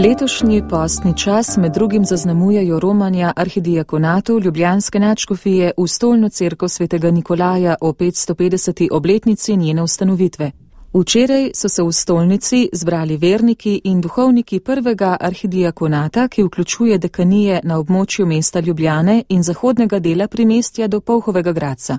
Letošnji postni čas med drugim zaznamujejo romanja arhidiakonatu Ljubljanske nadškofije v stolno cerkev svetega Nikolaja o 550. obletnici njene ustanovitve. Včeraj so se v stolnici zbrali verniki in duhovniki prvega arhidiakonata, ki vključuje dekanije na območju mesta Ljubljane in zahodnega dela primestja do Polhovega Gradca.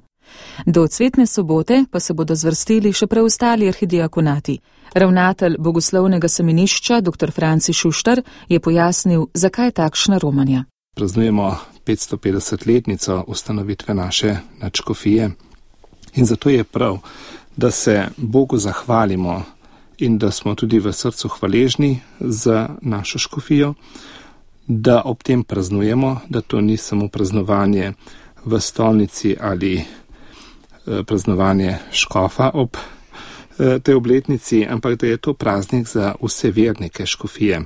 Do cvetne sobote pa se bodo zvrstili še preostali arhidiakonati. Ravnatelj bogoslovnega semenišča dr. Franci Šuštar je pojasnil, zakaj takšna romanja. Praznujemo 550-letnico ustanovitve naše nadškofije in zato je prav, da se Bogu zahvalimo in da smo tudi v srcu hvaležni za našo škofijo, da ob tem praznujemo, da to ni samo praznovanje v stolnici ali praznovanje škofa ob tej obletnici, ampak da je to praznik za vse vernike škofije.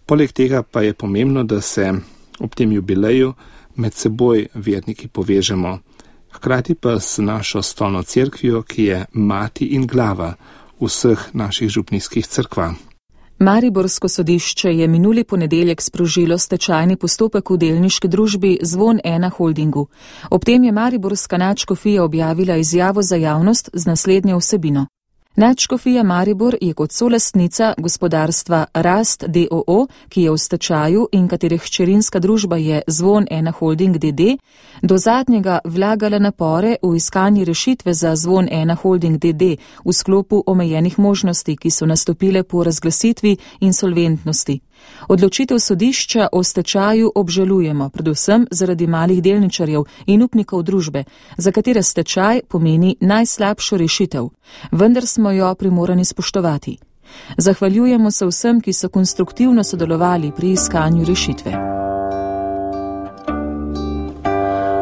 Poleg tega pa je pomembno, da se ob tem jubileju med seboj verniki povežemo, hkrati pa s našo stolno cerkvijo, ki je mati in glava vseh naših župnijskih cerkva. Mariborsko sodišče je minuli ponedeljek sprožilo stečajni postopek v delniški družbi Zvon 1 Holdingu. Ob tem je Mariborska nadškofija objavila izjavo za javnost z naslednjo vsebino. Nadškofija Maribor je kot solastnica gospodarstva Rast d.o.o., ki je v stečaju in katere hčerinska družba je Zvon 1 Holding d.d., do zadnjega vlagala napore v iskanje rešitve za Zvon 1 Holding d.d. v sklopu omejenih možnosti, ki so nastopile po razglasitvi insolventnosti. Odločitev sodišča o stečaju obžalujemo, predvsem zaradi malih delničarjev in upnikov družbe, za katere stečaj pomeni najslabšo rešitev, vendar smo jo primorani spoštovati. Zahvaljujemo se vsem, ki so konstruktivno sodelovali pri iskanju rešitve.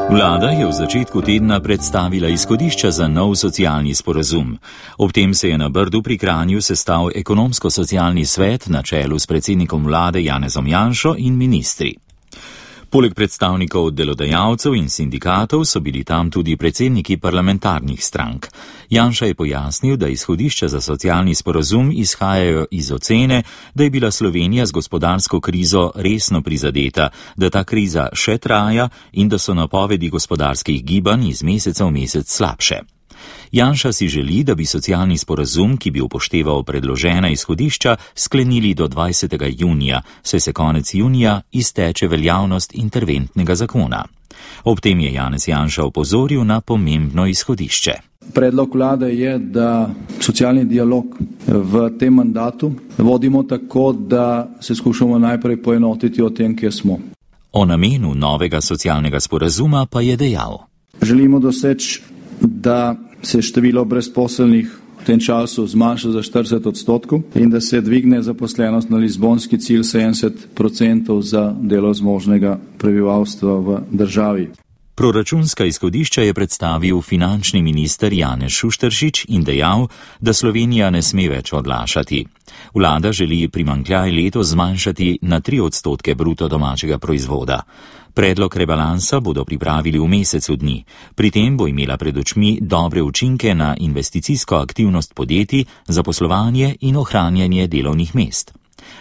Vlada je v začetku tedna predstavila izhodišča za nov socialni sporazum. Ob tem se je na Brdu pri Kranju sestal ekonomsko-socialni svet na čelu s predsednikom vlade Janezom Janšo in ministri. Poleg predstavnikov delodajalcev in sindikatov so bili tam tudi predsedniki parlamentarnih strank. Janša je pojasnil, da izhodišča za socialni sporazum izhajajo iz ocene, da je bila Slovenija z gospodarsko krizo resno prizadeta, da ta kriza še traja in da so napovedi gospodarskih gibanj iz meseca v mesec slabše. Janša si želi, da bi socialni sporazum, ki bi upošteval predložena izhodišča, sklenili do 20. junija, saj se konec junija izteče veljavnost interventnega zakona. Ob tem je Janez Janša opozoril na pomembno izhodišče. Predlog vlade je, da socialni dialog v tem mandatu vodimo tako, da se skušamo najprej poenotiti o tem, kje smo. O namenu novega socialnega sporazuma pa je dejal. Želimo doseči, da se število brezposelnih v tem času zmanjša za 40% in da se dvigne zaposlenost na lizbonski cilj 70% za delo zmožnega prebivalstva v državi. Proračunska izhodišča je predstavil finančni minister Janez Šušteršič in dejal, da Slovenija ne sme več odlašati. Vlada želi primanjkljaj letos zmanjšati na 3% bruto domačega proizvoda. Predlog rebalansa bodo pripravili v mesecu dni. Pri tem bo imela pred očmi dobre učinke na investicijsko aktivnost podjetij, zaposlovanje in ohranjanje delovnih mest.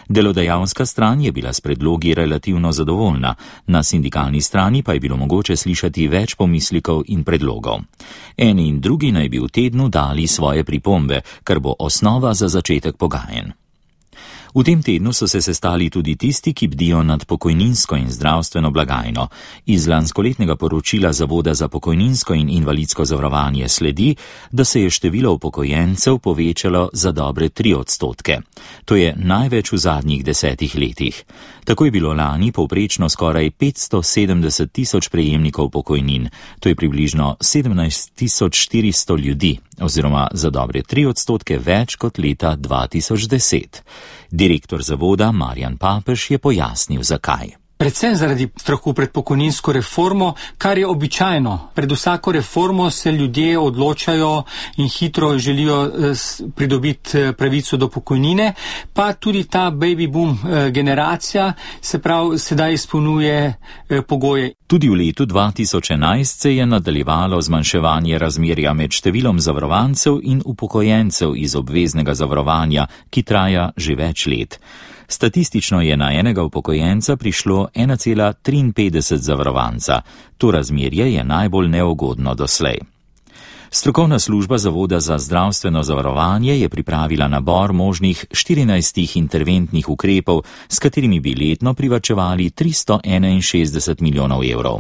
Delodajalska stran je bila s predlogi relativno zadovoljna, na sindikalni strani pa je bilo mogoče slišati več pomislikov in predlogov. Eni in drugi naj bi v tednu dali svoje pripombe, kar bo osnova za začetek pogajanj. V tem tednu so se sestali tudi tisti, ki bdijo nad pokojninsko in zdravstveno blagajno. Iz lanskoletnega poročila Zavoda za pokojninsko in invalidsko zavarovanje sledi, da se je število upokojencev povečalo za dobre 3%. To je največ v zadnjih 10 letih. Tako je bilo lani povprečno skoraj 570 tisoč prejemnikov pokojnin, to je približno 17 400 ljudi, oziroma za dobre 3% več kot leta 2010. Direktor zavoda Marjan Papež je pojasnil, zakaj. Predvsem zaradi strahu pred pokojninsko reformo, kar je običajno. Pred vsako reformo se ljudje odločajo in hitro želijo pridobiti pravico do pokojnine, pa tudi ta baby boom generacija se prav sedaj izpolnjuje pogoje. Tudi v letu 2011 se je nadaljevalo zmanjševanje razmerja med številom zavarovancev in upokojencev iz obveznega zavarovanja, ki traja že več let. Statistično je na enega upokojenca prišlo 1,53 zavarovanca. To razmerje je najbolj neugodno doslej. Strokovna služba Zavoda za zdravstveno zavarovanje je pripravila nabor možnih 14 interventnih ukrepov, s katerimi bi letno privarčevali 361 milijonov evrov.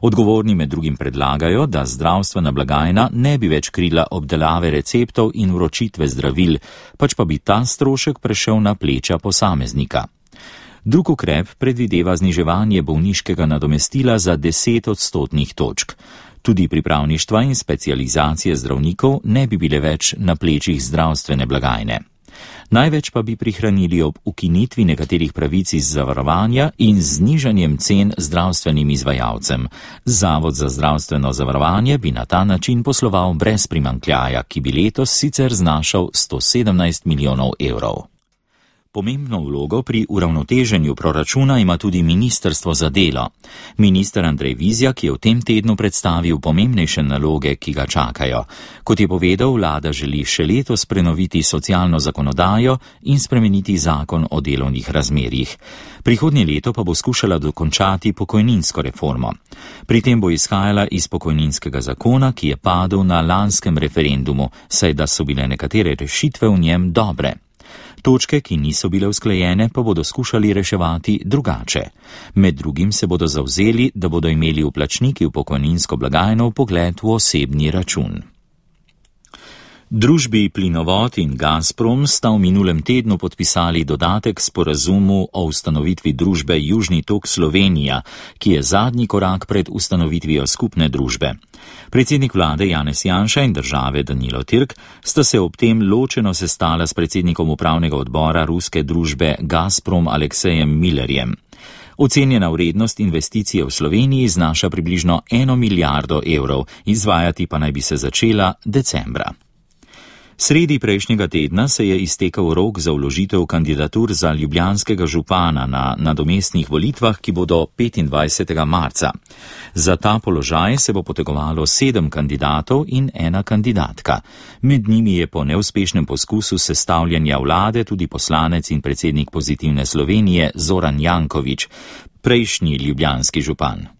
Odgovorni med drugim predlagajo, da zdravstvena blagajna ne bi več krila obdelave receptov in vročitve zdravil, pač pa bi ta strošek prešel na pleča posameznika. Drug ukrep predvideva zniževanje bolniškega nadomestila za 10 odstotnih točk. Tudi pripravništva in specializacije zdravnikov ne bi bile več na plečih zdravstvene blagajne. Največ pa bi prihranili ob ukinitvi nekaterih pravic iz zavarovanja in znižanjem cen zdravstvenim izvajalcem. Zavod za zdravstveno zavarovanje bi na ta način posloval brez primanjkljaja, ki bi letos sicer znašal 117 milijonov evrov. Pomembno vlogo pri uravnoteženju proračuna ima tudi Ministrstvo za delo. Minister Andrej Vizjak je v tem tednu predstavil pomembnejše naloge, ki ga čakajo. Kot je povedal, vlada želi še letos prenoviti socialno zakonodajo in spremeniti zakon o delovnih razmerjih. Prihodnje leto pa bo skušala dokončati pokojninsko reformo. Pri tem bo izhajala iz pokojninskega zakona, ki je padel na lanskem referendumu, saj da so bile nekatere rešitve v njem dobre. Točke, ki niso bile usklajene, pa bodo skušali reševati drugače. Med drugim se bodo zavzeli, da bodo imeli vplačniki v pokojninsko blagajno vpogled v osebni račun. Družbi Plinovod in Gazprom sta v minulem tednu podpisali dodatek sporazumu o ustanovitvi družbe Južni tok Slovenija, ki je zadnji korak pred ustanovitvijo skupne družbe. Predsednik vlade Janez Janša in države Danilo Türk sta se ob tem ločeno sestala s predsednikom upravnega odbora ruske družbe Gazprom Aleksejem Millerjem. Ocenjena vrednost investicije v Sloveniji znaša približno 1 milijardo evrov, izvajati pa naj bi se začela decembra. Sredi prejšnjega tedna se je iztekel rok za vložitev kandidatur za ljubljanskega župana na nadomestnih volitvah, ki bodo 25. marca. Za ta položaj se bo potegovalo 7 kandidatov in 1 kandidatka. Med njimi je po neuspešnem poskusu sestavljanja vlade tudi poslanec in predsednik Pozitivne Slovenije Zoran Janković, prejšnji ljubljanski župan.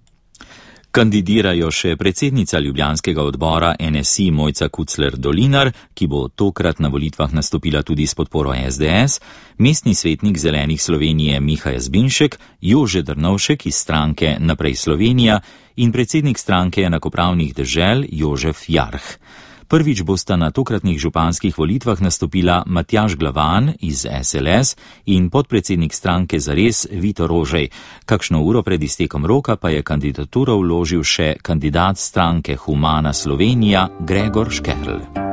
Kandidirajo še predsednica ljubljanskega odbora NSI Mojca Kucler Dolinar, ki bo tokrat na volitvah nastopila tudi s podporo SDS, mestni svetnik Zelenih Slovenije Miha Jazbinšek, Jože Drnovšek iz stranke Naprej Slovenija in predsednik stranke enakopravnih dežel Jožef Jarh. Prvič bosta na tokratnih županskih volitvah nastopila Matjaž Glavan iz SLS in podpredsednik stranke Zares Vito Rožej. Kakšno uro pred iztekom roka pa je kandidaturo vložil še kandidat stranke Humana Slovenija Gregor Škerl.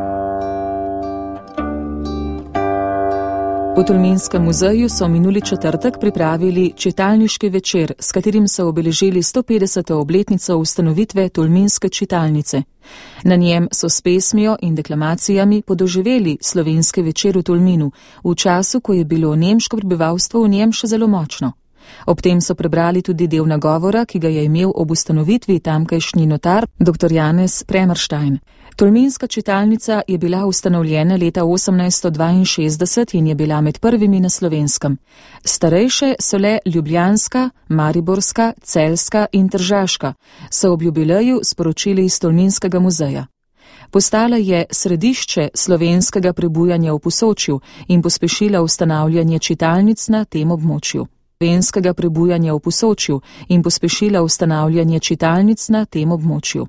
V Tolminskem muzeju so minuli četrtek pripravili čitalniški večer, s katerim so obeležili 150. obletnico ustanovitve Tolminske čitalnice. Na njem so s pesmijo in deklamacijami podoživeli slovenski večer v Tolminu, v času, ko je bilo nemško prebivalstvo v njem še zelo močno. Ob tem so prebrali tudi del nagovora, ki ga je imel ob ustanovitvi tamkajšnji notar dr. Janez Premerstein. Tolminska čitalnica je bila ustanovljena leta 1862 in je bila med prvimi na Slovenskem. Starejše so le ljubljanska, mariborska, celjska in tržaška, so ob jubileju sporočili iz Tolminskega muzeja. Postala je središče slovenskega prebujanja v Posočju in pospešila ustanavljanje čitalnic na tem območju. Slovenskega prebujanja v Posočju in pospešila ustanavljanje čitalnic na tem območju.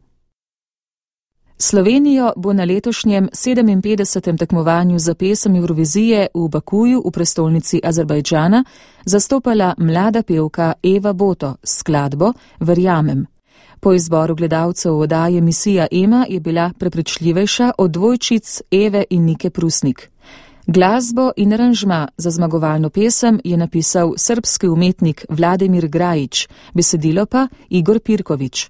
Slovenijo bo na letošnjem 57. tekmovanju za pesem Eurovizije v Bakuju v prestolnici Azerbajdžana zastopala mlada pevka Eva Boto s skladbo Verjamem. Po izboru gledalcev oddaje Misija Ema je bila prepričljivejša od dvojčic Eve in Nike Prusnik. Glasbo in aranžma za zmagovalno pesem je napisal srbski umetnik Vladimir Grajić, besedilo pa Igor Pirković.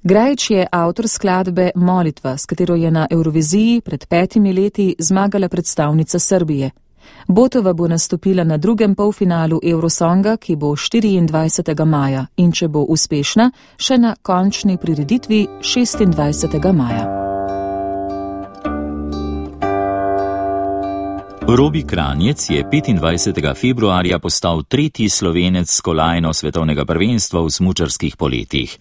Grajić je avtor skladbe Molitva, s katero je na Euroviziji pred 5 leti zmagala predstavnica Srbije. Botova bo nastopila na drugem polfinalu Eurosonga, ki bo 24. maja in če bo uspešna, še na končni prireditvi 26. maja. Robi Kranjec je 25. februarja postal tretji Slovenec s kolajno svetovnega prvenstva v smučarskih poletih.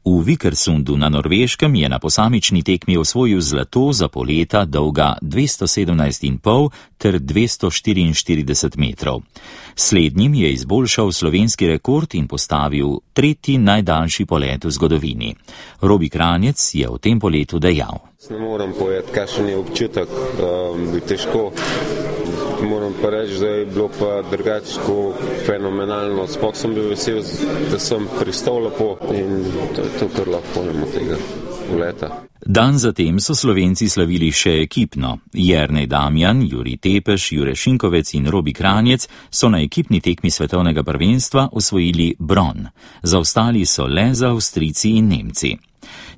V Vikersundu na Norveškem je na posamični tekmi osvojil zlato za poleta dolga 217,5 ter 244 metrov. Slednjim je izboljšal slovenski rekord in postavil tretji najdaljši polet v zgodovini. Robi Kranjec je v tem poletu dejal: Ne morem povedati, kakšen je občutek, bi težko. Moram pa reči, da je bilo pa drugačko fenomenalno. Sploh sem bil vesel, da sem pristal lepo in to je to, kar lahko povemo tega poleta. Dan zatem so Slovenci slavili še ekipno. Jernej Damjan, Jurij Tepeš, Jure Šinkovec in Robi Kranjec so na ekipni tekmi svetovnega prvenstva osvojili bron. Zaostali so le za Avstrijci in Nemci.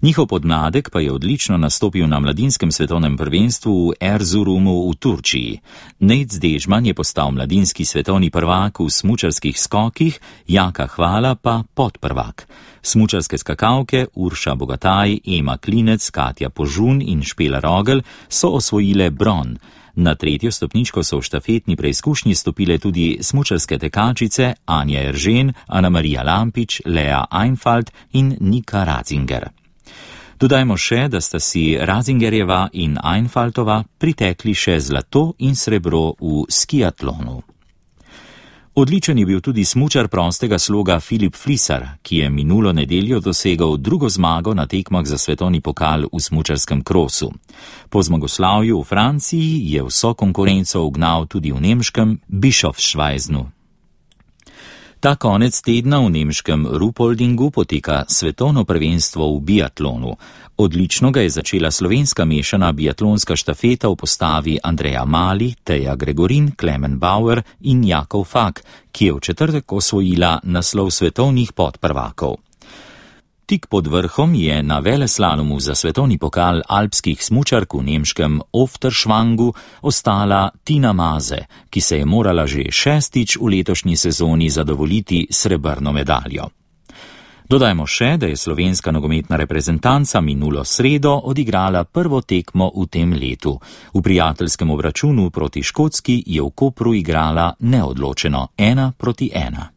Njihov podmladek pa je odlično nastopil na mladinskem svetovnem prvenstvu v Erzurumu v Turčiji. Nejc Dežman je postal mladinski svetovni prvak v smučarskih skokih, Jaka Hvala pa podprvak. Smučarske skakalke Urša Bogataj, Ema Klinec, Katja Požun in Špela Rogel so osvojile bron. Na tretjo stopničko so v štafetni preizkušnji stopile tudi smučarske tekačice Anja Eržen, Ana Marija Lampič, Lea Einfalt in Nika Razinger. Dodajmo še, da sta si Razingerjeva in Einfaltova pritekli še zlato in srebro v skiatlonu. Odličen je bil tudi smučar prostega sloga Filip Flisar, ki je minulo nedeljo dosegel drugo zmago na tekmah za svetovni pokal v smučarskem krosu. Po zmagoslavju v Franciji je vso konkurenco ugnal tudi v nemškem Bischofsschweiznu. Ta konec tedna v nemškem Ruhpoldingu poteka svetovno prvenstvo v biatlonu. Odlično ga je začela slovenska mešana biatlonska štafeta v postavi Andreja Mali, Teja Gregorin, Klemen Bauer in Jakov Fak, ki je v četrtek osvojila naslov svetovnih podprvakov. Tik pod vrhom je na veleslalomu za svetovni pokal alpskih smučark v nemškem Ofterschwangu ostala Tina Maze, ki se je morala že šestič v letošnji sezoni zadovoljiti srebrno medaljo. Dodajmo še, da je slovenska nogometna reprezentanca minulo sredo odigrala prvo tekmo v tem letu. V prijateljskem obračunu proti Škotski je v Kopru igrala neodločeno 1-1.